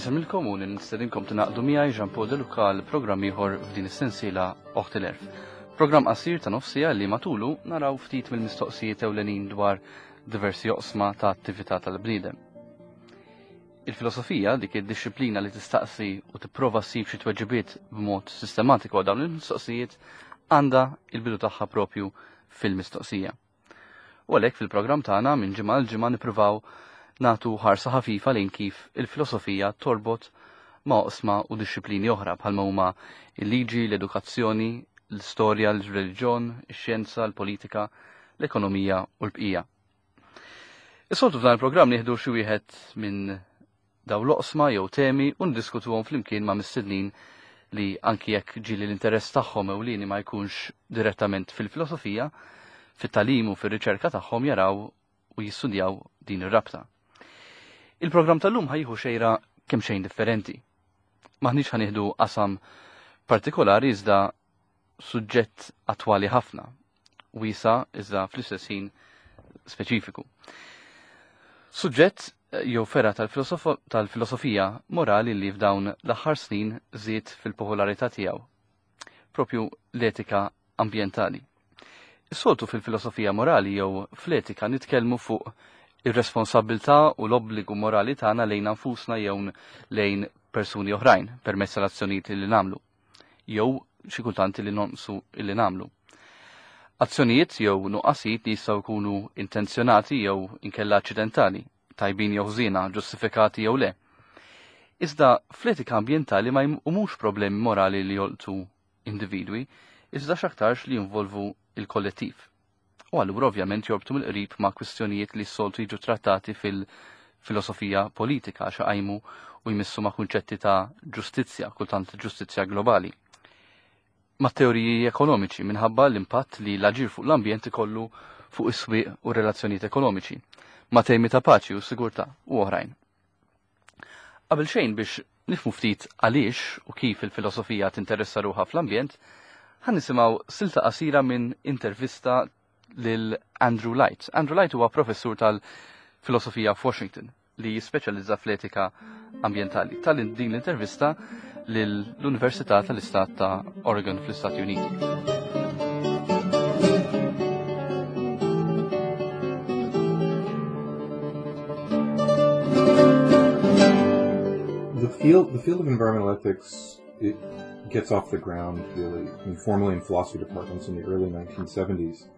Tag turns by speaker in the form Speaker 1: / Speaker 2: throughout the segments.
Speaker 1: Insemmilkom u nistedinkom tingħaqdu miegħi Jean Paul De Luca għal programm ieħor f'din is-sensiela Oħt il-Erf. Programm qasir ta' nofsija li matulu naraw ftit mill-mistoqsijiet ewlenin dwar diversi oqsma ta' attività tal-bniedem. Il-filosofija, dik id-dixxiplina li tistaqsi u tipprova ssib xi tweġibiet b'mod sistematiku għal dawn il-mistoqsijiet, għandha il-bidu tagħha propju fil-mistoqsija. U għalhekk fil-programm tagħna minn ġimgħa għal ġimgħa nippruvaw nagħtu ħarsa ħafifa lejn kif il-filosofija torbot ma' oqsma u dixxiplini oħra bħalma huma il-liġi, l-edukazzjoni, l-istorja, l-reliġjon, ix-xjenza, l-politika, l-ekonomija u l-bqija. Is-soltu f'dan il-programm nieħdu xi wieħed minn dawn l-oqsma jew temi u ndiskutuhom flimkien ma' mistednin li anki jekk ġieli l-interess tagħhom ewlieni ma jkunx direttament fil-filosofija, fit-tagħlim u fir-riċerka tagħhom jaraw u jistudjaw din ir-rabta. Il-programm tal-lum ħajħu xejra kemm xejn differenti. Maħniex ħanieħdu qasam partikolari iżda suġġett attwali ħafna, wiesa iżda fl-istess ħin speċifiku. Suġġett eh, jew ferra tal-filosofija morali li f'dawn l-aħħar snin żied fil-popolarità tiegħu. Propju l-etika ambjentali. Is-soltu fil-filosofija morali jew fl-etika nitkellmu fuq ir-responsabilità u l-obbligu morali tagħna lejn anfusna jew lejn persuni oħrajn permezz tal-azzjonijiet li nagħmlu. jew xi kultant li nonqsu li nagħmlu. Azzjonijiet jew nuqqasijiet li jistgħu jkunu intenzjonati jew inkella aċċidentali, tajbin jew ħżiena, ġustifikati jew le. Iżda fl-etika ambjentali ma jqumux problemi morali li jolqtu individwi, iżda x'aktarx li jinvolvu il-kollettiv. U allura ovvjament jorbtu mill-qrib ma' kwistjonijiet li s-soltu jiġu trattati fil-filosofija politika għax iqajmu u jmissu ma' kunċetti ta' ġustizzja, kultant ġustizzja globali. Ma' teoriji ekonomiċi minħabba l-impatt li l-aġir fuq l-ambjent ikollu fuq is-swieq u relazzjonijiet ekonomiċi, ma' temi ta' paċi u sigurtà u oħrajn. Qabel xejn biex nifhmu ftit għaliex u kif il-filosofija tinteressa ruħha fl-ambjent, ħa nisimgħu silta qasira minn intervista lil Andrew Light. Andrew Light huwa professur tal-filosofija f'Washington li jispeċjalizza fl-etika ambjentali. Tal din l-intervista lill-Università tal-Istat ta' Oregon fl-Istati Uniti.
Speaker 2: The field, the field of environmental ethics, it gets off the ground really informally in philosophy departments in the early 1970s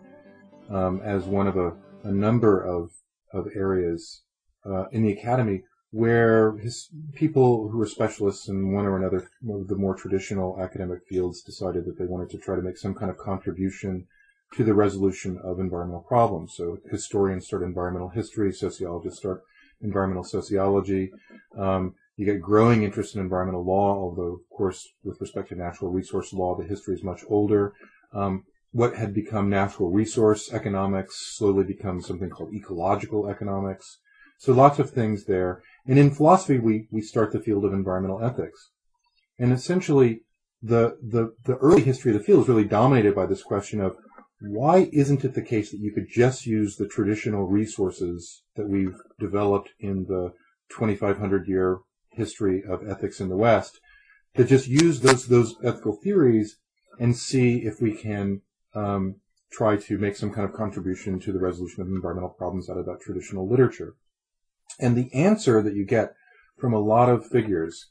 Speaker 2: um, as one of a, a number of, of areas uh, in the academy where his people who were specialists in one or another of the more traditional academic fields decided that they wanted to try to make some kind of contribution to the resolution of environmental problems. So historians start environmental history, sociologists start environmental sociology. Um, you get growing interest in environmental law, although, of course, with respect to natural resource law, the history is much older. Um, what had become natural resource economics slowly becomes something called ecological economics. So lots of things there. And in philosophy, we, we start the field of environmental ethics. And essentially, the, the, the early history of the field is really dominated by this question of why isn't it the case that you could just use the traditional resources that we've developed in the 2500 year history of ethics in the West to just use those, those ethical theories and see if we can um, try to make some kind of contribution to the resolution of environmental problems out of that traditional literature. And the answer that you get from a lot of figures,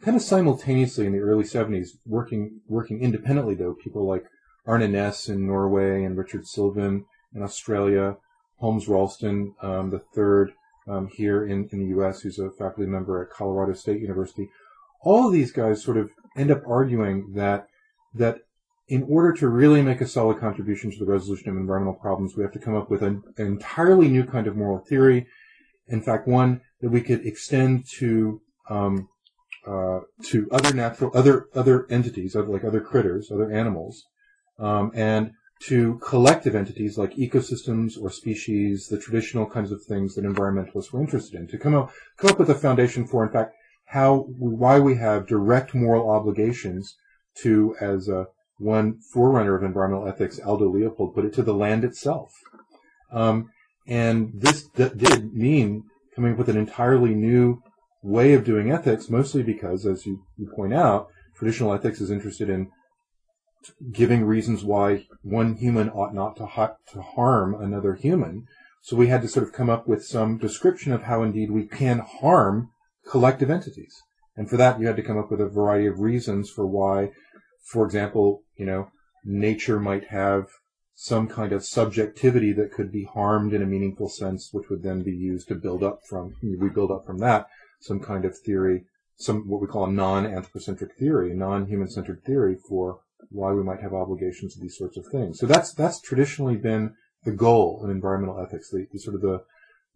Speaker 2: kind of simultaneously in the early 70s, working, working independently though, people like Arne Næss in Norway and Richard Sylvan in Australia, Holmes Rolston, um, the third um, here in, in the U.S., who's a faculty member at Colorado State University. All of these guys sort of end up arguing that that in order to really make a solid contribution to the resolution of environmental problems, we have to come up with an, an entirely new kind of moral theory. In fact, one that we could extend to um, uh, to other natural, other other entities, like other critters, other animals, um, and to collective entities like ecosystems or species, the traditional kinds of things that environmentalists were interested in, to come up, come up with a foundation for, in fact, how, why we have direct moral obligations to, as a, one forerunner of environmental ethics, Aldo Leopold, put it, to the land itself. Um, and this d- did mean coming up with an entirely new way of doing ethics, mostly because, as you point out, traditional ethics is interested in giving reasons why one human ought not to harm another human. So we had to sort of come up with some description of how indeed we can harm collective entities. And for that, you had to come up with a variety of reasons for why, for example, nature might have some kind of subjectivity that could be harmed in a meaningful sense, which would then be used to build up from, we build up from that, some kind of theory, some what we call a non-anthropocentric theory, a non-human-centered theory for why we might have obligations to these sorts of things. So that's traditionally been the goal in environmental ethics. The sort of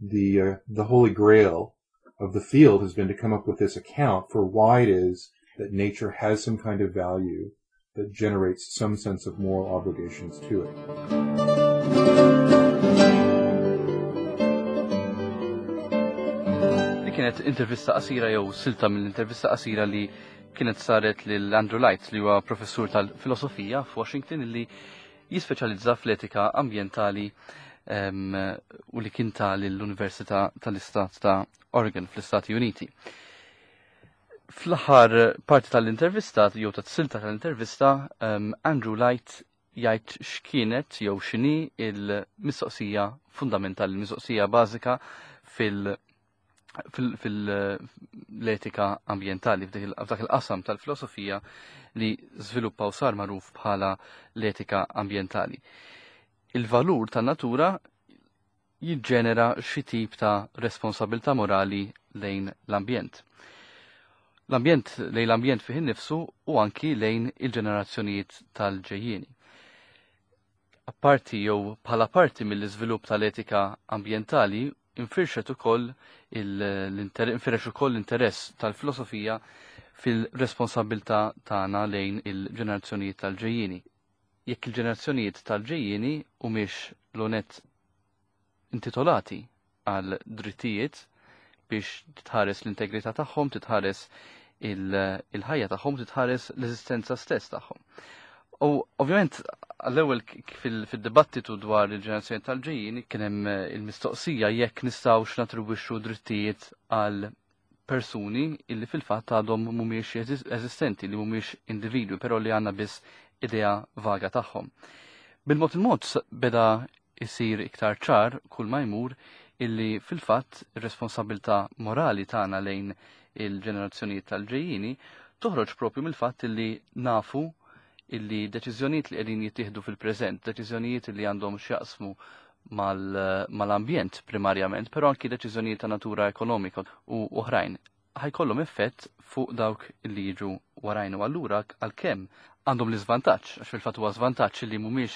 Speaker 2: the holy grail of the field has been to come up with this account for why it is that nature has some kind of value that generates some sense of moral obligations to it.
Speaker 1: Li kienet intervista qasira jew silta mill-intervista qasira li kienet saret lil Andrew Light, li huwa professur tal-filosofija f'Washington li jispeċjalizza fl-etika ambjentali u li kien ta' lill-Università tal-Istat ta' Oregon fl-Istati Uniti. Fl-aħħar parti tal-intervista, jew tat-silta tal-intervista, Andrew Light jgħid x'kienet jew x'inhi il-mistoqsija fundamentali, il-mistoqsija bażika fil-etika ambjentali, f'dak il-qasam tal-filosofija li żviluppa u sar magħruf bħala l-etika ambjentali. Il-valur tan-natura jiġġenera xi tip ta' responsabilità morali lejn l-ambjent. L-ambjent lejn l-ambjent fih innifsu u anki lejn il-ġenerazzjonijiet tal-ġejjieni. Apparti jew bħala parti mill-iżvilupp tal-etika ambjentali infirxet ukoll infirex ukoll l-interess tal-filosofija fil-responsabilità tagħna lejn il-ġenerazzjonijiet tal-ġejjieni. Jekk il-ġenerazzjonijiet tal-ġejjieni humiex l-onet intitolati għal drittijiet biex titħares l-integrità tagħhom, titħares il-ħajja tagħhom, titħares l-eżistenza stess tagħhom. U ovvjament għall-ewwel fid-dibattitu dwar il-ġenerazzjoni tal-ġejjieni kien hemm il-mistoqsija jekk nistgħux natribwixxu drittijiet għal persuni illi fil-fatt għadhom mhumiex eżistenti, li mhumiex individwi, però li għandna biss idea vaga tagħhom. Bil-mod il-mod beda isir iktar ċar kull ma jmur illi fil-fatt ir-responsabilità morali tagħna lejn il-ġenerazzjonijiet tal-ġejjieni toħroġ propju mill-fatt illi nafu illi deċiżjonijiet li qegħdin jittieħdu fil-preżent, deċiżjonijiet li għandhom x'jaqsmu mal-ambjent primarjament, però anki deċiżjonijiet ta' natura ekonomika u oħrajn, ħajkollhom effett fuq dawk li jiġu warajn. U allura għalkemm għandhom l-iżvantaġġ, għax fil-fatt huwa żvantaġġ li mhumiex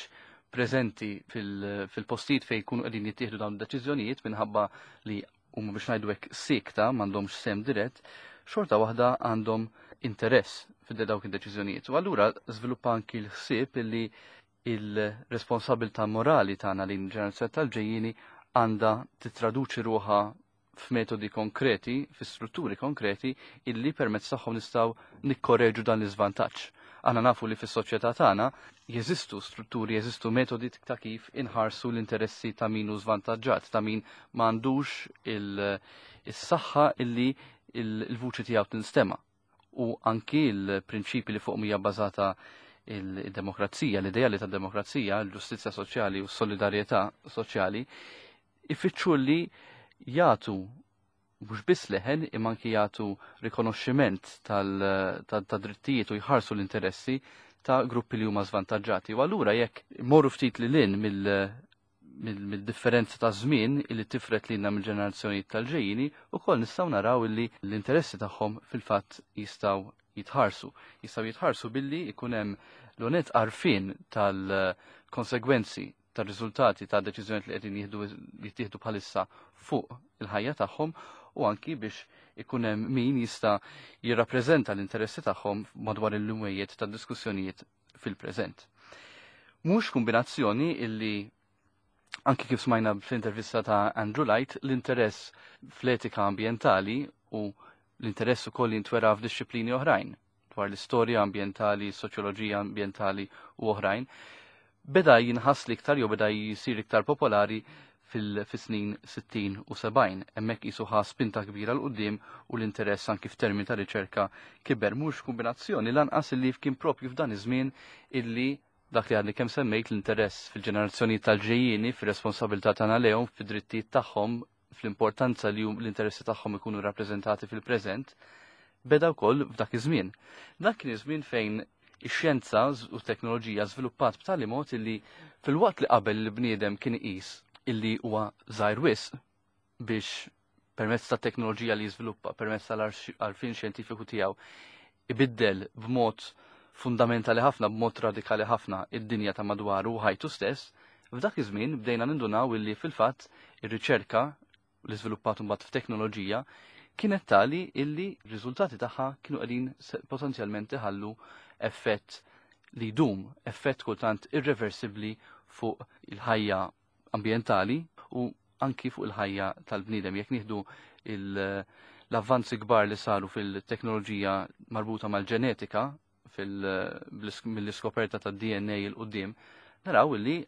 Speaker 1: preżenti fil-postijiet fejn jkunu qegħdin jittieħdu dawn id-deċiżjonijiet minħabba li huma biex ngħidu hekk sikta m'għandhomx sem dirett, xorta waħda għandhom interess fid dawk id-deċiżjonijiet. U allura żviluppa anki l-ħsieb illi il-responsabilità morali tagħna lejn il-ġenerazzjoni tal-ġejjieni għandha titraduċi ruħha f'metodi konkreti, fi strutturi konkreti illi permezz tagħhom nistgħu nikkorreġu dan l-iżvantaġġ. Aħna nafu li fis-soċjetà tagħna jeżistu strutturi, jeżistu metodi ta' kif inħarsu l-interessi ta' min hu żvantaġġat, ta' min m'għandux is-saħħa illi il-vuċi tiegħu tinstema'. U anki l-prinċipi li fuq hija bbażata il-demokrazija, l-ideali tad-demokrazija, l-ġustizzja soċjali u s-solidarjetà soċjali, ifittxu li jagħtu mhux biss leħen imma anki jagħtu rikonoxximent tad-drittijiet u jħarsu l-interessi ta' gruppi li huma żvantaġġati. U allura jekk morru ftit lil hinn mill-differenza ta' żmien illi tifret lilna mill-ġenerazzjonijiet tal-ġejjieni, ukoll nistgħu naraw illi l-interessi tagħhom fil-fatt jistgħu jitħarsu. Jistgħu jitħarsu billi jkun hemm l-onet għarfien tal-konsegwenzi tar-riżultati ta' deċiżjonijiet li qegħdin jittieħdu bħalissa fuq il-ħajja tagħhom u anki biex ikun hemm min jista' jirrappreżenta l-interessi tagħhom madwar il-lumwejiet ta' diskussjonijiet fil-preżent. Mhux kombinazzjoni illi anki kif smajna fl-intervista ta' Andrew Light, l-interess fl-etika ambjentali u l-interess ukoll jintwera f'dixxiplini oħrajn dwar l-istorja ambjentali, soċjoloġija ambjentali u oħrajn, beda jinħass l-iktar jew beda jisir iktar popolari Fil-snin 60 u 70. Hemmhekk qisu ħa spinta kbira 'l quddiem u l-interess anki f'termini ta' riċerka kiber. Mhux kombinazzjoni lanqas illi kien propju f'dan iż-żmien illi dak li għadni kemm semmejt, l-interess fil-ġenerazzjoni tal-ġejjieni, fir-responsabilità tagħna lejhom, fid-drittijiet tagħhom, fl-importanza li l-interessi tagħhom ikunu rappreżentati fil-preżent, beda wkoll f'dak iż-żmien. Dak kien iż-żmien fejn ix-xjenza u t-teknoloġija żviluppat b'tali mod illi filwaqt li qabel il-bniedem kien iqis illi huwa żgħir wisq biex permezz ta' teknoloġija li jiżviluppa, permezz tal-għarfien xjentifiku tiegħu, ibiddel b'mod fundamentali ħafna, b'mod radikali ħafna id-dinja ta' madwaru u ħajtu stess, f'dak iż-żmien bdejna nindunaw illi fil-fatt ir-riċerka li żviluppat mbagħad f'teknoloġija kienet tali illi r-riżultati tagħha kienu qegħdin potenzjalment iħallu effett li jdum, effett kultant irreversibbli fuq il-ħajja ambjentali u anki fuq il-ħajja tal-bniedem. Jekk nieħdu l-avvanzi kbar li saru fil-teknoloġija marbuta mal-ġenetika mill-iskoperta tad-DNA 'l quddiem, naraw illi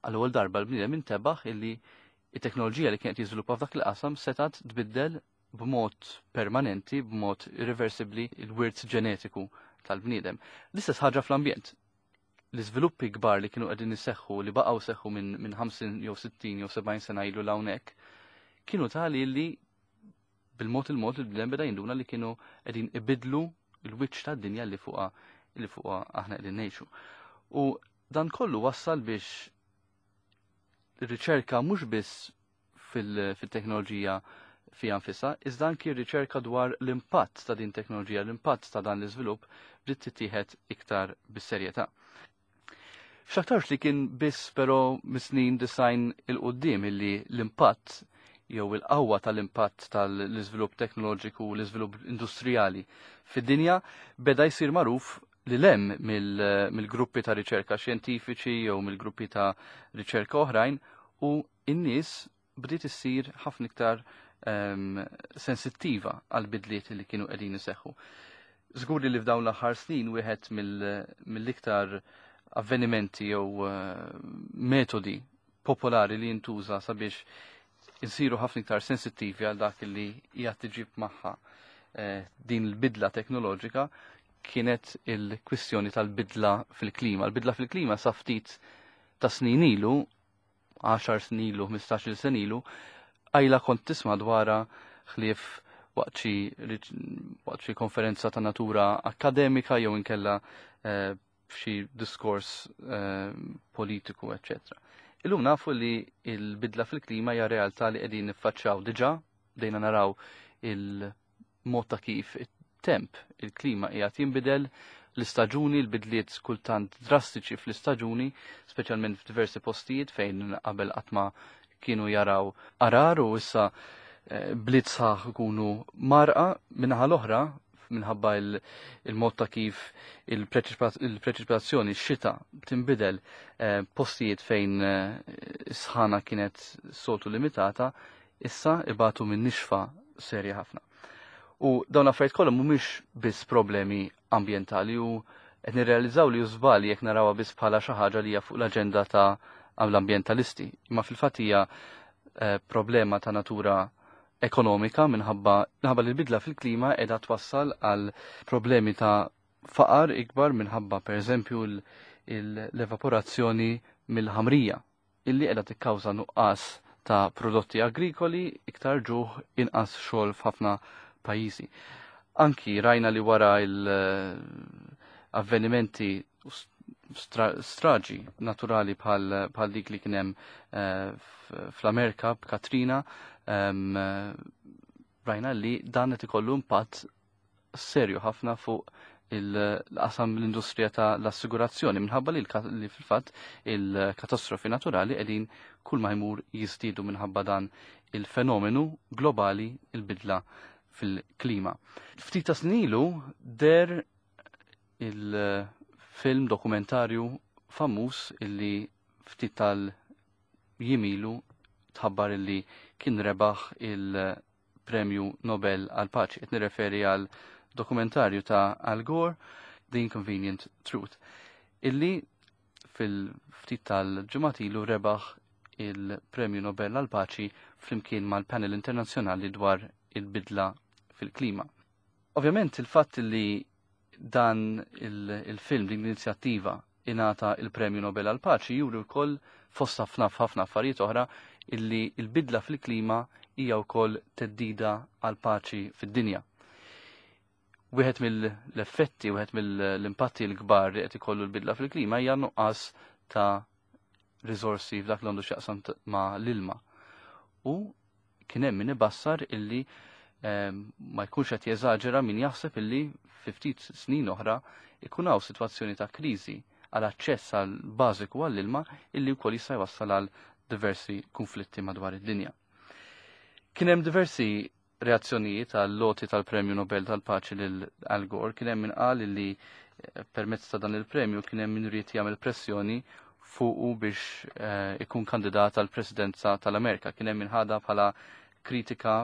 Speaker 1: għall-ewwel darba l-bniedem intebaħ illi it-teknoloġija li kienet jiżviluppa f'dak il-qasam setat tbiddel b'mod permanenti, b'mod irreversibbli, il-wirt ġenetiku tal-bniedem. L-istess ħaġa fl-ambjent. L-iżviluppi kbar li kienu qegħdin iseħħu, li baqgħu seħħu minn 50 jew 60 jew 70 sena ilu 'l hawnhekk, kienu tali li bil-mod il-mod il-bniedem beda jinduna li kienu qegħdin ibidlu l-wiċċ tad-dinja li fuqha aħna qegħdin ngħixu. U dan kollu wassal biex ir-riċerka mhux biss fil-teknoloġija fiha nfisha, iżda anki r-riċerka dwar l-impatt ta' din teknoloġija, l-impatt ta' dan l-iżvilupp bdiet tittieħed iktar bis-serjetà. X'aktarx li kien biss però mis-snin 90 'il quddiem illi l-impatt jew il-qawwa tal-impatt tal-iżvilupp teknoloġiku u l-iżvilupp industrijali fid-dinja beda jsir magħruf li lem mill-gruppi ta' riċerka xjentifiċi jew mill-gruppi ta' riċerka oħrajn u n-nies bdiet issir ħafna iktar sensittiva għal bidliet li kienu qegħdin iseħħu. Żgur li f'dawn l-aħħar snin wieħed mill-iktar avvenimenti jew metodi popolari li jintuża sabiex insiru ħafna iktar sensittivi għal dak li hija tiġib magħha din il-bidla teknoloġika kienet il-kwistjoni tal-bidla fil-klima. Il-bidla fil-klima sa ftit ta' snin ilu, 10 snin ilu, 15 sena ilu, għajla kont tisma' dwarha ħlief waqt xi konferenza ta' natura akademika jew inkella f'xi diskors politiku, eccetera. Illum nafu li il-bidla fil-klima hija realtà li qegħdin niffaċċjaw diġà, bdejna naraw il-mod ta' kif it-temp, il-klima qiegħed jinbidel, l-istaġuni, l-bidliet kultant drastiċi fl-istaġuni, speċjalment f'diversi postijiet fejn qabel qatt ma kienu jaraw għargħar u issa bliet sħaħ ikunu mgħarrqa. Min-naħa l-oħra, minħabba il-mod ta' kif il-preċipitazzjoni, x-xita tinbidel, postijiet fejn sħana kienet soltu limitata, issa ibatu minn nixfa serja ħafna. U dawn affarijiet kollha mhumiex biss problemi ambjentali u qed nirrealizzaw li żball jekk narawha biss bħala xi ħaġa li hija fuq l-aġenda ta' l-ambjentalisti. Imma fil-fatt hija problema ta' natura ekonomika minħabba li l-bidla fil-klima qiegħda twassal għal problemi ta' faqar ikbar minħabba, pereżempju, l-evaporazzjoni mill-ħamrija illi qiegħda tikkawża nuqqas ta' prodotti agrikoli, iktar ġuħ, inqas xogħol f'ħafna pajjiżi. Anki rajna li wara l-avvenimenti, straġi naturali bħal dik li kien hemm fl-Amerika b'Katrina, rajna li dan qed ikollu impatt serju ħafna fuq il-qasam l-industrija ta' l-assigurazzjoni minħabba li fil-fatt il-katastrofi naturali qegħdin kull ma jmur jiżdiedu minħabba dan il-fenomenu globali, il-bidla fil-klima. Ftit ta' snin ilu deher il-film dokumentarju famuż illi ftit tal-jiem ilu tħabbar illi kien rebaħ il-Premju Nobel għal paċi. Qed nirreferi għal dokumentarju ta' Al Gore, The Inconvenient Truth, illi fil-ftit tal-ġimgħat ilu rebaħ. il-Premju Nobel għall-Paċi flimkien mal-Panel Internazzjonali dwar il-bidla fil-klima. Ovvjament il-fatt li dan il-film, din l-inizjattiva ingħata il-Premju Nobel għall-Paċi juri wkoll fost ħafna ħafna affarijiet oħra illi l-bidla fil-klima hija wkoll theddida għall-paċi fid-dinja. Wieħed mill-effetti, wieħed mill-impatti l-kbar li qed ikollu l-bidla fil-klima hija nuqqas ta' riżorsi f'dak li għandu x'jaqsam ma' l-ilma. U kien hemm min ibassar illi ma jkunx qed jeżaġera min jaħseb illi fi ftit snin oħra ikun hawn sitwazzjoni ta' kriżi għal aċċess għal bażiku għall-ilma illi wkoll jista' jwassal għal diversi konflitti madwar id-dinja. Kien hemm diversi reazzjonijiet għal loti tal-Premju Nobel tal-Paċi lil Al Gore, kien hemm min qal illi permezz ta' dan il-premju kien hemm min ried jagħmel pressjoni fuqu biex ikun kandidat għal presidenza tal-Amerika. Kien hemm min ħadha bħala kritika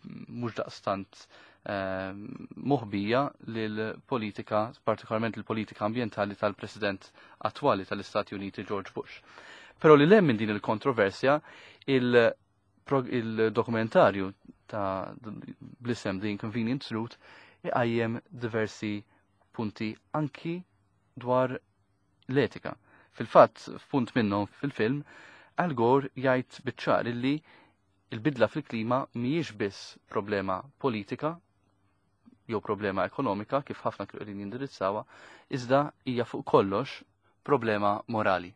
Speaker 1: mhux daqstant moħbija lill-politika, partikolarment il-politika ambjentali tal-President attwali tal-Istati Uniti George Bush. Però li lem minn din il-kontroversja, il-dokumentarju ta' bl-isem The Inconvenient Truth iqajjem diversi punti anki dwar l-etika. Fil-fatt, f'punt minnhom fil-film, Al Gore jgħid biċ-ċar illi il-bidla fil-klima mhijiex biss problema politika jew problema ekonomika kif ħafna kienu qegħdin jindirizzawha, iżda hija fuq kollox problema morali.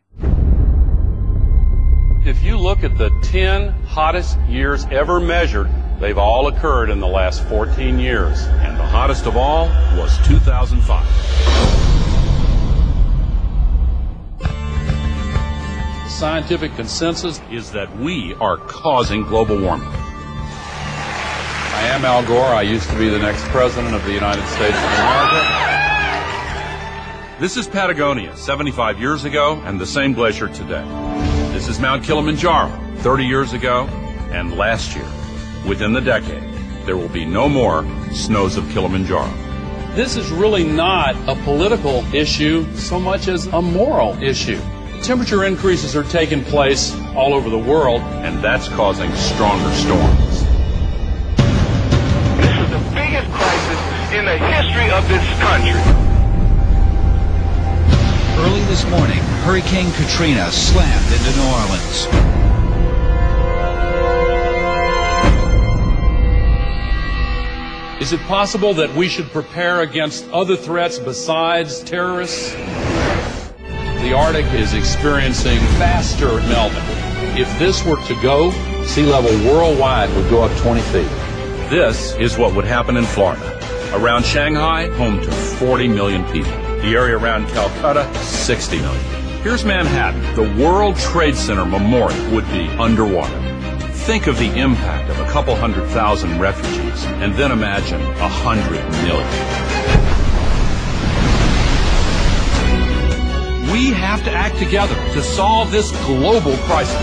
Speaker 3: If you look at the 10 hottest years ever measured, they've all occurred in the last 14 years. And the hottest of all was 2005. The scientific consensus is that we are causing global warming. I am Al Gore. I used to be the next president of the United States of America. This is Patagonia, 75 years ago, and the same glacier today. This is Mount Kilimanjaro, 30 years ago, and last year. Within the decade, there will be no more snows of Kilimanjaro. This is really not a political issue so much as a moral issue. Temperature increases are taking place all over the world, and that's causing stronger storms.
Speaker 4: This is the biggest crisis in the history of this country.
Speaker 5: Early this morning, Hurricane Katrina slammed into New Orleans.
Speaker 3: Is it possible that we should prepare against other threats besides terrorists? The Arctic is experiencing faster melting. If this were to go, sea level worldwide would go up 20 feet. This is what would happen in Florida. Around Shanghai, home to 40 million people. The area around Calcutta, 60 million. Here's Manhattan. The World Trade Center Memorial would be underwater. Think of the impact of a couple 100,000 refugees, and then imagine 100 million. We have to act together to solve this global crisis.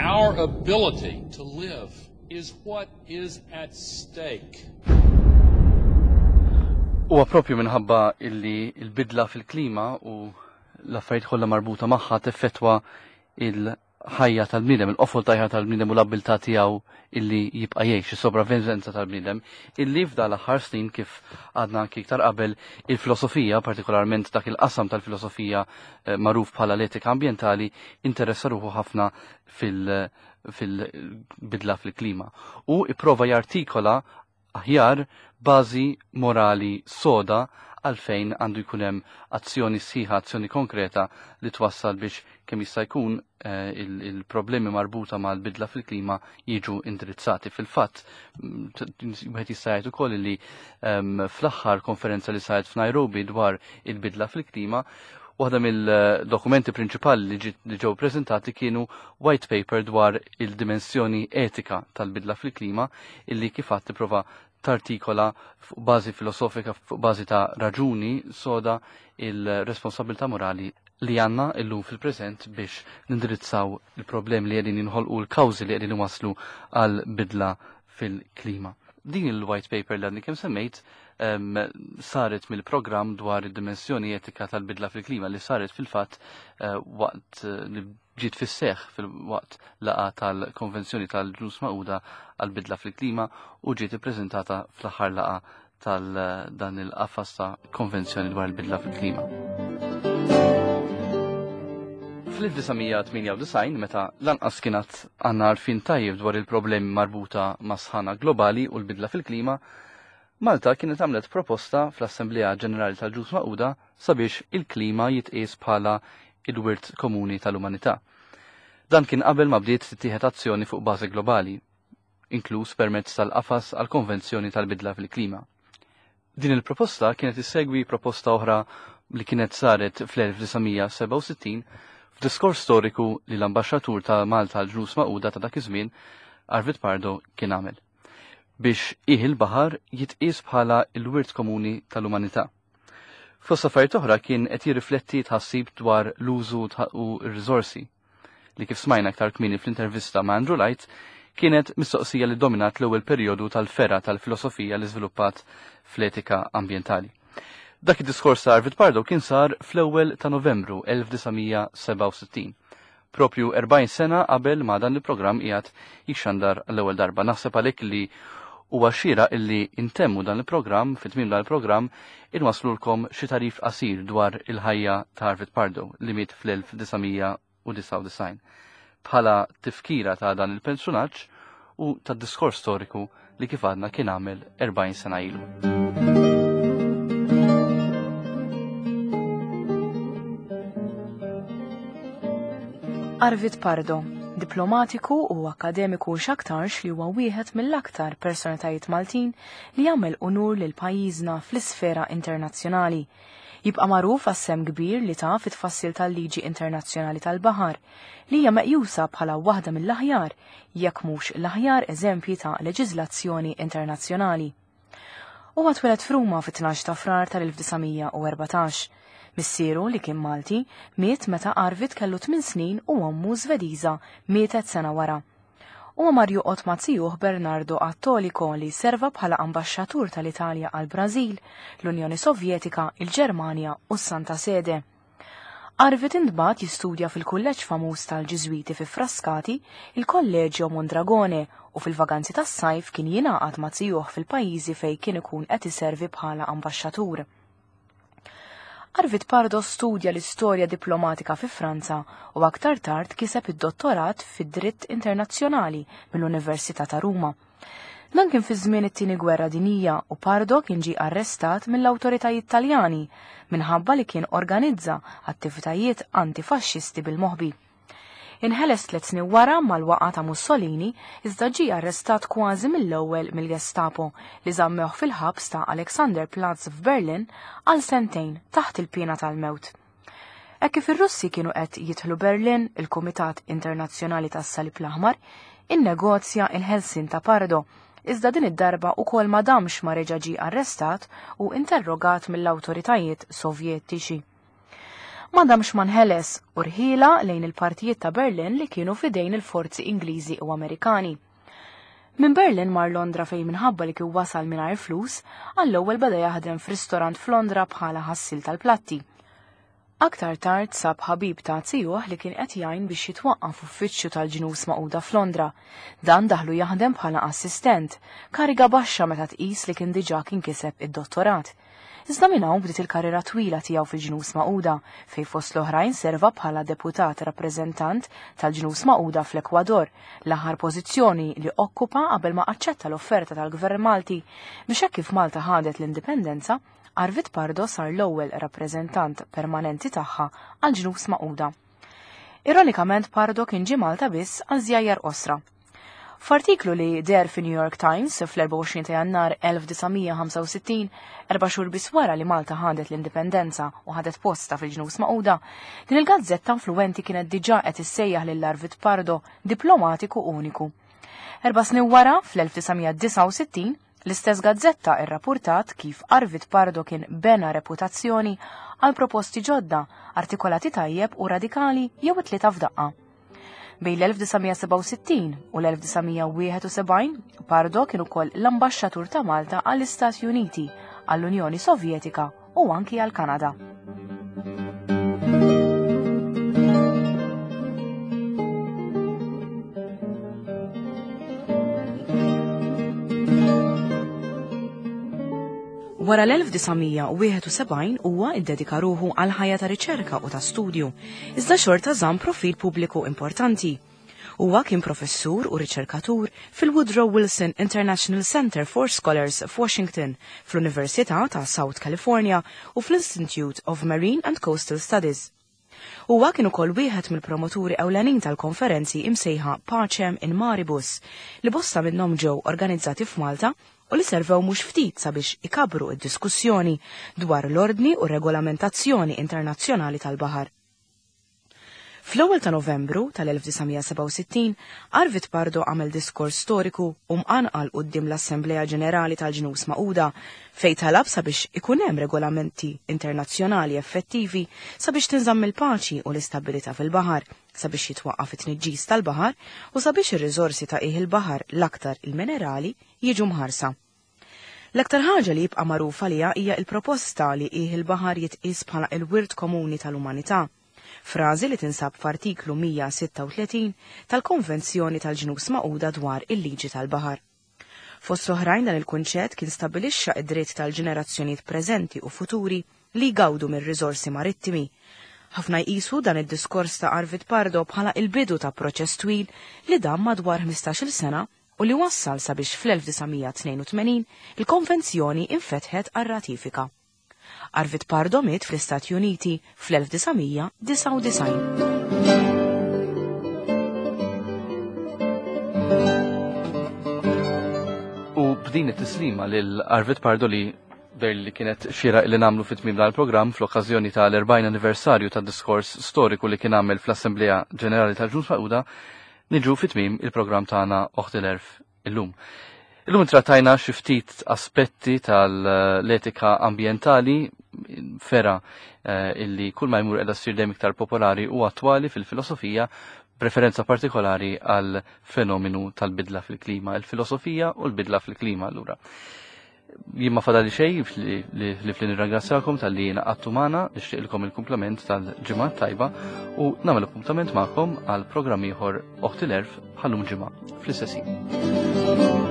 Speaker 3: Our ability to live is what is at stake.
Speaker 1: Huwa propju minħabba illi l-bidla fil-klima u l-affarijiet kollha marbuta magħha teffettwa il-ħajja tal-bniedem, il-qofol ta' ħajja tal-bniedem u l-abbiltà tiegħu illi jibqa' jgħix, is-sopravvivenza tal-bniedem, illi f'dan l-aħħar snin kif għadna anki iktar qabel il-filosofija, partikolarment dak il-qasam tal-filosofija magħruf bħala l-etika ambjentali, interessa ruħu ħafna fil-bidla fil-klima u ipprova jartikola aħjar bażi morali soda għalfejn għandu jkun hemm azzjoni sħiħa, azzjoni konkreta li twassal biex kemm jista' jkun il-problemi marbuta mal-bidla fil-klima jiġu indirizzati. Fil-fatt, wieħed jista' jgħid ukoll li fl-aħħar konferenza li saret f'Nairobi dwar il-bidla fil-klima, waħda mill-dokumenti prinċipali li ġew preżentati kienu white paper dwar il-dimensjoni etika tal-bidla fil-klima illi kif għad tipprova tartikola fuq bażi filosofika, fuq bażi ta' raġuni soda il-responsabilità morali li għandna illum fil-preżent biex nindirizzaw il-problemi li qegħdin jinħolqu, l-kawżi li qegħdin iwasslu għal bidla fil-klima. Din il-white paper li għadni kemm semmejt saret mill-programm dwar id-dimensjoni etika tal-bidla fil-klima li saret fil-fatt eh, waqt eh, li ġiet fis-seħħ fil-waqt laqgħa tal-Konvenzjoni tal-Ġnus Magħquda għall-bidla fil-klima u ġiet ippreżentata fl-aħħar laqgħa tal-dan il-qafas ta' konvenzjoni dwar il-bidla fil-klima. Fl-1998, meta lanqas kienet għandna għarfien tajjeb dwar il-problemi marbuta ma' sħana globali u l-bidla fil-klima, Malta kienet għamlet proposta fl-Assemblea Ġenerali tal-Ġnus Magħquda sabiex il-klima jitqies bħala il-wirt komuni tal-umanità. Dan kien qabel ma bdiet tittieħed azzjoni fuq bażi globali, inkluż permezz tal-qafas għall-Konvenzjoni tal-Bidla fil-Klima. Din il-proposta kienet issegwi proposta oħra li kienet saret fl-1967 f'diskors storiku li l-ambaxxatur ta' Malta għal Ġnus Magħquda ta' dak iż-żmien, Arvid Pardo, kien għamel biex qiegħ il-baħar jitqies bħala l-wirt komuni tal-umanità. Fost affarijiet oħra kien qed jirrifletti tħassib dwar l-użu u r-riżorsi li kif smajna aktar kmieni fl-intervista ma' Andrew Light kienet mistoqsija li dominat l-ewwel perjodu tal-fergħa tal-filosofija li żviluppat fl-etika ambjentali. Dak id-diskors ta' Arvid Pardo kien sar fl-ewwel ta' Novembru 1967, propju 40 sena qabel ma dan il-programm qiegħed jixxandar l-ewwel darba. Naħseb għalhekk li huwa xieraq illi intemmu dan il-programm, fit-tmiem dan il-programm, inwaslulkom xi tagħrif qasir dwar il-ħajja ta' Arvid Pardo li miet fl-1999. Bħala tifkira ta' dan il-personaġġ u tad-diskors storiku li kif għadna kien għamel 40 sena ilu.
Speaker 6: Arvid Pardo, diplomatiku u akkademiku x'aktarx li huwa wieħed mill-aktar personalitajiet Maltin li jagħmel unur lil pajjiżna fl-isfera internazzjonali. Jibqa' magħruf għas-sehem kbir li ta fit-tfassil tal-liġi internazzjonali tal-baħar, li hija meqjusa bħala waħda mill-aħjar, jekk mhux l-aħjar eżempji ta' leġiżlazzjoni internazzjonali. Huwa tweled f'Ruma fit-12 ta' Frar tal-1914. Missieru, li kien Malti, miet meta Arvid kellu tmien snin u ommu Żvediża mietet sena wara. Huwa mar joqgħod ma' zijuh Bernardo Attolico li serva bħala ambaxxatur tal-Italja għall-Brażil, l-Unjoni Sovjetika, il-Ġermanja u s-Santa Sede. Arvid intbagħat jistudja fil-kulleġġ famuż tal-Ġiżwiti fi Frascati, il-Collegio Mondragone, u fil-vaganzi tas-sajf kien jingħaqad ma' zijuh fil-pajjiżi fejn kien ikun qed iservi bħala ambaxxatur. Arvid Pardo studja l-istorja diplomatika fi Franza u aktar tard kiseb id-dottorat fid-dritt internazzjonali mill-Università ta' Ruma. Dan kien fi żmien it-Tieni Gwerra Dinjija u Pardo kien ġie arrestat mill-awtoritajiet Taljani minħabba li kien organizza attivitajiet antifaxxisti bil-moħbi. Inħeles tliet snin wara mal-waqgħa ta' Mussolini iżda ġie arrestat kważi mill-ewwel mill-Gestapo li żammewh fil-ħabs ta' Alexanderplatz f'Berlin għal sentejn taħt il-piena tal-mewt. Hekk kif ir-Russi kienu qed jidħlu Berlin, il-Kumitat Internazzjonali tas-Salib l-Aħmar innegozja il-ħelsien ta' Pardo, iżda din id-darba ukoll ma damx ma reġa' ġie arrestat u interrogat mill-awtoritajiet Sovjetiċi. Ma damx ma nħeles u rħiela lejn il-partijiet ta' Berlin li kienu f'idejn il-forzi Ingliżi u Amerikani. Minn Berlin mar Londra fejn minħabba li kien wasal mingħajr flus, għall-ewwel beda jaħdem f'ristorant f'Londra bħala ħassil tal-platti. Aktar tard sab ħabib ta' zijuh li kien qed jgħin biex jitwaqqaf uffiċċju tal-Ġnus Magħquda f'Londra. Dan daħlu jaħdem bħala assistent, kariga baxxa meta tqis li kien diġà kien kiseb id-dottorat. Iżda minn hawn bdiet il-karriera twila tiegħu fil-Ġnus Magħquda, fejn fost l-oħrajn serva bħala deputat rappreżentant tal-Ġnus Magħquda fl-Ekwador, l-aħħar pożizzjoni li okkupa qabel ma aċċetta l-offerta tal-Gvern Malti biex hekk kif Malta ħadet l-indipendenza, Arvid Pardo sar l-ewwel rappreżentant permanenti tagħha għall-Ġnus Magħquda. Ironikament Pardo kien ġie Malta biss għal żjajjar qosra. F'artiklu li deher fi New York Times fl-24 ta' Jannar 1965, erba' xhur biss wara li Malta ħadet l-indipendenza u ħadet postha fil-Ġnus Magħquda, din il-gazzetta influwenti kienet diġà qed issejjaħ lil Arvid Pardo diplomatiku uniku. Erba' snin wara, fl-1969, l-istess gazzetta rrappurtat kif Arvid Pardo kien bena reputazzjoni għal proposti ġodda, artikolati tajjeb u radikali jew it-tlieta f'daqqa. Bejn l-1967 u l-1971, Pardo kien ukoll l-ambaxxatur ta' Malta għall-Istati Uniti, għall-Unjoni Sovjetika u anki għall-Kanada. Wara l-1971 huwa iddedika ruħu għal ħajja ta' riċerka u ta' studju, iżda xorta żamm profil pubbliku importanti. Huwa kien professur u riċerkatur fil-Woodrow Wilson International Center for Scholars f'Washington, fl-Università ta' South California u fl-Institute of Marine and Coastal Studies. Huwa kien ukoll wieħed mill-promoturi ewlenin tal-konferenzi imsejħa Pacem in Maribus, li bosta minnhom ġew organizzati f'Malta u li servew mhux ftit sabiex ikabbru d-diskussjoni dwar l-ordni u r-regolamentazzjoni internazzjonali tal-baħar. Fl-ewwel ta' Novembru tal-1967, Arvid Pardo għamel diskors storiku u mqanqal quddiem l-Assemblea Ġenerali tal-Ġnus Magħquda fejn talab sabiex ikun hemm regolamenti internazzjonali effettivi sabiex tinżamm il-paċi u l-istabbilità fil-baħar, sabiex jitwaqqaf it-tniġġis tal-baħar u sabiex ir-riżorsi ta' qiegħ il-baħar, l-aktar il-minerali, jiġu mħarsa. L-aktar ħaġa li jibqa' magħruf għaliha hija l-proposta li qiegħ il-baħar jitqies bħala l-wirt komuni tal-umanità, frażi li tinsab f'Artiklu 136 tal-Konvenzjoni tal-Ġnus Magħquda dwar il-Liġi tal-Baħar. Fost oħrajn dan il-kunċett kien stabbilixxa d-dritt tal-ġenerazzjonijiet preżenti u futuri li jgawdu mir-riżorsi marittimi. Ħafna jqisu dan id-diskors ta' Arvid Pardo bħala il-bidu ta' proċess twil li dam madwar 15-il sena u li wassal sabiex fl-1982 il-konvenzjoni infetħet għar-ratifika. Arvid Pardo miet fl-Istati Uniti fl-1999.
Speaker 1: U b'din it-tislima lil Arvid Pardo li der li kienet xira li namlu fit tmim dal-programm fl-okkażjoni tal-40 anniversarju tad-diskors storiku li kien għamel fl-Assemblea Ġenerali tal-Ġnus Magħquda, niġu fit tmim il-programm tagħna Oħt il-Għerf illum. Illum trattajna xi ftit aspetti tal-etika ambjentali fera eh, illi kull ma jmur qiegħda ssir dejjem iktar popolari u attwali fil-filosofija preferenza partikolari għal fenomenu tal-bidla fil-klima, il-filosofija u l-bidla fil-klima allura. Jien ma fadali xejn li li nirringrazzjakom tal-li naqattu magħna, nixtieqilkom il-kumplament tal-ġimgħa tajba u nagħmel appuntament magħkom għal programm ieħor Oħti l-Erf bħallum ġimgħa fl-istess ħin.